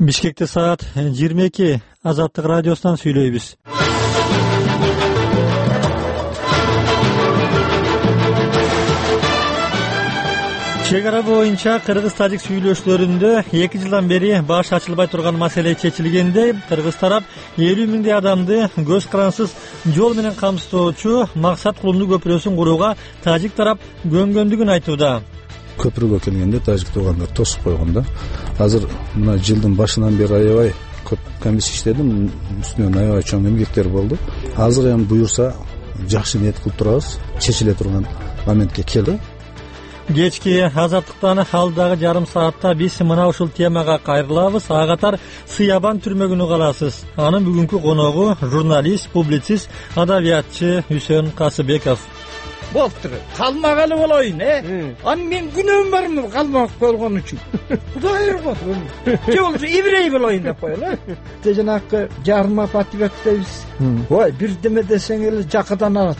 Бишкекте саат 22. Азаттык радиосунан сүйлөйбүз. Чек ара боюнча кыргыз-тажик сүйлөшүүлөрүндө 2 жылдан бери баш ачылбай турган маселе чечилгенде, кыргыз тарап 50 миңдей адамды көз карансыз жол менен камсыздоочу максат кулумдуу көпүрөсүн курууга тажик тарап көнгөндүгүн айтууда. Көпүрөгө келгенде тажик туугандар тосуп койгон да. Азыр мына жылдын башынан бери аябай көп комиссия иштедим, үстүнөн аябай чоң эмгектер болду. Азыр эми буюрса жакшы ниет кылып турабыз, чечиле турган моментке келди. Кечки азаттыктан алдагы жарым саатта биз мына ушул темага кайрылабыз. Ага катар Сыябан түрмөгүнү каласыз. Анын бүгүнкү коногу журналист, публицист, адабиятчы Үсөн Касыбеков. Болуптур. Калмагалы болоюн, Аны мен күнөөм бармы калмак болгон үчүн? Кудай ыргы. Же болсо еврей болоюн деп коелу. Жанакы жарма патриот дейбиз. Ой, бирдеме десең эле жакадан алат.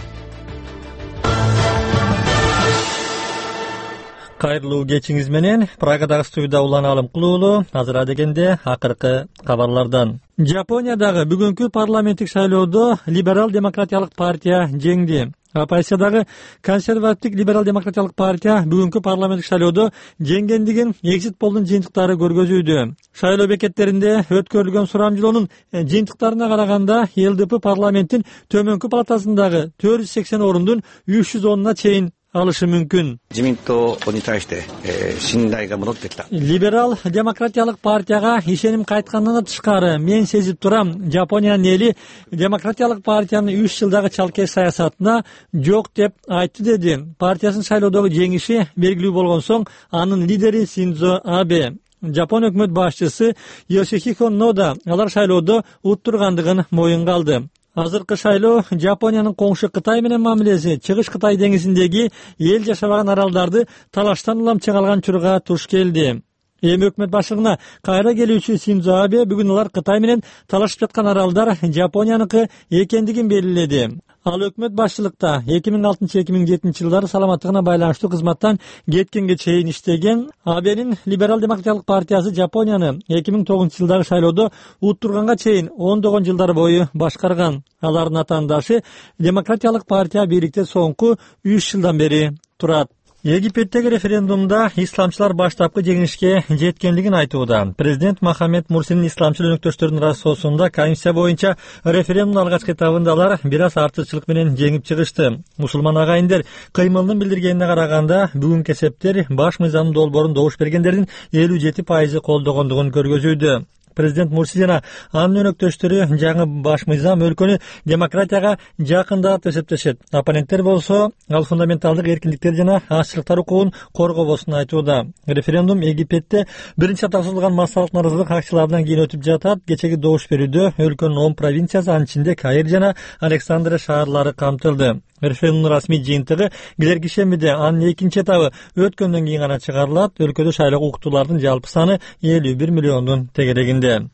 Кайрылуу кечиңиз менен Прагадагы студияда Улан Алым Кулуулу. Азыр адегенде акыркы кабарлардан. Жапониядагы бүгүнкү парламенттик шайлоодо либерал демократиялык партия жеңди. Оппозициядагы консервативдик либерал демократиялык партия бүгүнкү парламенттик шайлоодо жеңгендигин экзит полдун жыйынтыктары көргөзүүдө. Шайлоо бекеттеринде өткөрүлгөн сурамжылоонун жыйынтыктарына караганда ЛДП парламенттин төмөнкү палатасындагы 480 орундун 310 чейин алышы мүмкүн. Либерал демократиялык партияга ишеним кайткандан тышкары мен сезип турам, Жапониянын эли демократиялык партиянын 3 жылдагы чалкеш саясатына жок деп айтты, деди. Партиясынын шайлоодогу жеңиши белгилүү болгон соң анын лидери Синдзо Абе. Жапон өкмөт башчысы Йосихико Нода алар шайлоодо уттургандыгын моюнга алды. Азыркы шайлоо Жапониянын коңшу Кытай менен мамилеси Чыгыш Кытай деңизиндеги эл жашабаган аралдарды талаштан улам чыгалган чурга туш келди. Эми өкмөт башчылыгына кайра келүүчү Синдзо Абе бүгүн алар Кытай менен талашып жаткан аралдар Жапонияныкы экендигин белгиледи. Ал өкмөт башчылыкта 2006-2007 жылдары саламаттыгына байланыштуу кызматтан кеткенге чейин иштеген. Абенин либерал демократиялык партиясы Жапонияны 2009 жылдагы шайлоодо уттурганга чейин ондогон жылдар бою башкарган. Алардын атаандашы демократиялык партия бийликте соңку 3 жылдан бери турат. Египеттеги референдумда исламчылар баштапкы жеңишке жеткендигин айтууда. Президент Мохаммед Мурсинин исламчыл өнөктөштөрүнүн расоосунда комиссия боюнча референдумдун алгачкы этабында алар бир аз артыкчылык менен жеңип чыгышты. Мусулман агайындар кыймылынын билдиргенине караганда бүгүнкү эсептер баш мыйзамдын долбоорун добуш бергендердин 57% колдогондугун көргөзүүдө. Президент Мурси жана анын өнөктөштөрү жаңы баш мыйзам өлкөнү демократияга жакындап деп эсептешет. Оппоненттер болсо ал фундаменталдык эркиндиктер жана ачыктар укугун коргобосун айтууда. Референдум Египетте биринчи атап созулган массалык нааразылык акцияларынан кийин өтүп жатат. Кечеги добуш берүүдө өлкөнүн 10 провинциясы, анын ичинде Каир жана Александрия шаарлары камтылды. Референдумдун расмий жыйынтыгы келерки шембиде, анын экинчи этабы өткөндөн кийин гана чыгарылат. Өлкөдө шайлоого укуктуулардын жалпы саны 51 миллиондун тегерегинде.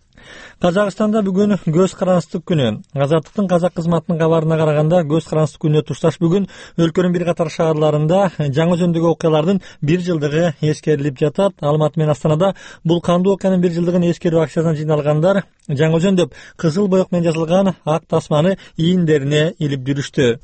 Казакстанда бүгүн көз карансыздык күнү. Азаттыктын казак кызматынын кабарына караганда көз карансыздык күнүнө тушташ бүгүн өлкөнүн бир катар шаарларында жаңы жөндөгү окуялардын 1 жылдыгы эскерилип жатат. Алматы менен Астанада бул кандуу окуянын 1 жылдыгын эскерүү акциясына жыйналгандар жаңы жөндөп кызыл боек менен жазылган ак тасманы ийиндерине илип жүрүштү.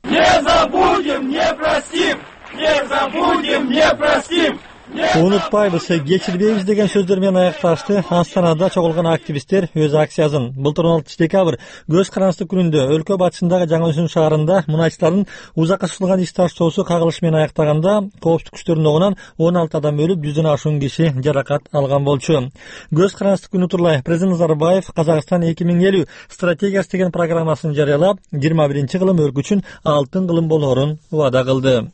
Не забудем, не простим! Не забудем, не простим! Унутпайбыз, кечирбейбиз деген сөздөр менен аякташты Астанада чогулган активисттер өз акциясын. Былтыр 16 декабрь көз карансыздык күнүндө өлкө батышындагы Жаңы-Өзөн шаарында мунайчылардын узакка созулган иш таштоосу кагылышы менен аяктаганда коопсуздук күчтөрүнүн огунан 16 адам өлүп, 100дөн ашуун киши жаракат алган болчу. Көз карансыздык күнү турлай президент Назарбаев Казакстан 2050 стратегиясы деген программасын жарыялап, 21-кылым өлкө үчүн алтын кылым болоорун убада кылды.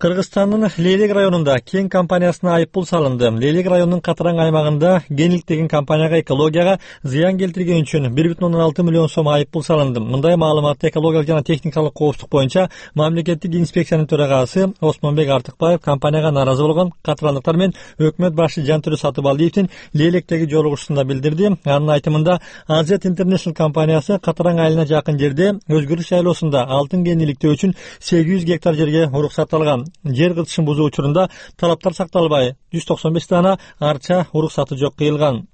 Кыргызстандын Лейлек районунда Кен компаниясына айыппул салынды. Лейлек районунун Катараң аймагында Генилик деген компанияга экологияга зыян келтирген үчүн 1,6 миллион сом айыппул салынды. Мындай маалыматты экологиялык жана техникалык коопсуздук боюнча мамлекеттик инспекциянын төрагасы Осмонбек Артыкбаев компанияга нааразы болгон катарандыктар менен өкмөт башчы Жантөрө Сатыбалдиевдин Лейлектеги жолугушуусунда билдирди. Анын айтымында Азет International компаниясы Катараң айылына жакын жерде өзгөрүш шайлоосунда алтын кениликтөө үчүн 800 гектар жерге уруксат алган. Жер кызышын бузуу учурунда талаптар сакталбай 195 дана арча уруксаты жок кыйылган.